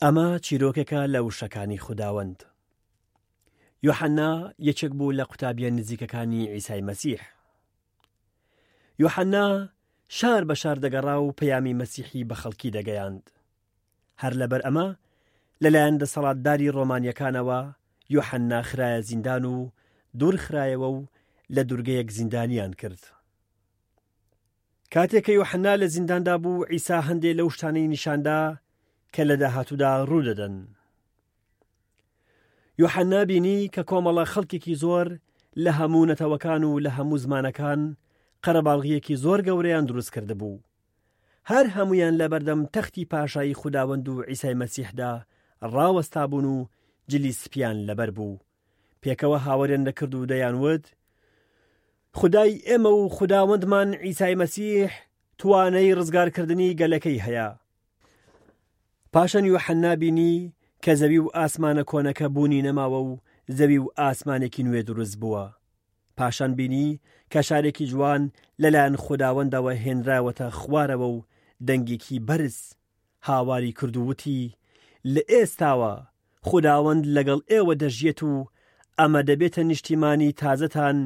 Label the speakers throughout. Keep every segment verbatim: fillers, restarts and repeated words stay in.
Speaker 1: ئەمە چیرۆکێکە لە وشەکانی خوداوەند. یۆحەنا یەکێک بوو لە قوتابیە نزیکەکانی عیسای مەسیح. یۆحەنا شار بە شار دەگەڕا و پەیامی مەسیحی بە خەڵکی دەگەیاند. هەر لەبەر ئەمە لەلایەن دەسەڵاتداری ڕۆمانیەکانەوە یۆحەنا خرایە زیندان و دوور خرایەوە و لە دوورگەیەک زیندانیان کرد. کاتێک کە یۆحەنا لە زینداندا بوو، عیسا هەندێ لەو شتانەی نیشاندا کە لە داهاتوودا ڕوودەدەن. یۆحەنا بینی کە کۆمەڵە خەڵکێکی زۆر لە هەموو نەتەوەکان و لە هەموو زمانەکان قەرەباڵغیەکی زۆر گەورەیان دروست کردبوو. هەر هەمویان لە بەردەم تەختی پاشایی خوداوەند و عیسای مەسیحدا ڕاوەستا بوون و جلی سپیان لەبەر بوو. پێکەوە هاوەریان دەکرد و دەیانوت: خدای ئێمە و خوداوەندمان عیسای مەسیح توانەی ڕزگارکردنی گەلەکەی هەیە. پاشان یۆحەنا بینی کە زەوی و ئاسمانە کۆنەکە بوونی نەماوە و زەوی و ئاسمانێکی نوێ دروست بووە. پاشان بینی کە شارێکی جوان لەلایەن خوداوەندەوە هێنراوەتە خوارەوە و دەنگێکی بەرز هاواری کرد و وتی: لە ئێستاوە خوداوەند لەگەڵ ئێوە دەژیێت و ئەمە دەبێتە نیشتیمانی تازەتان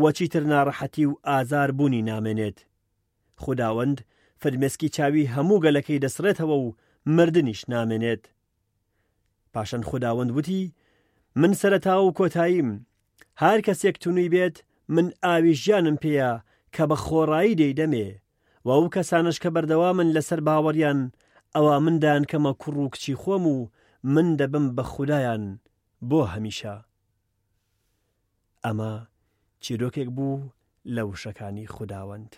Speaker 1: و چیتر ناڕەحەتی و ئازار بوونی نامێنێت. خوداوەند فرمێسکی چاوی هەموو گەلەکەی دەسڕێتەوە و مردنیش نامێنێت. پاشان خوداوەند وتی: من سەرەتا و کۆتاییم، هەر کەسێک تونوی بێت من ئاوی ژیانم پێیە کە بە خۆڕایی دەیدەمێ، و ئەو کەسانش کە بەردەوامن لەسەر باوەڕیان، ئەوە من دایانکەمە کوڕ و کچی خۆم و من دەبم بە خودایان بۆ هەمیشە. ئەمە چیرۆکێک بوو لە وشەکانی خوداوەند.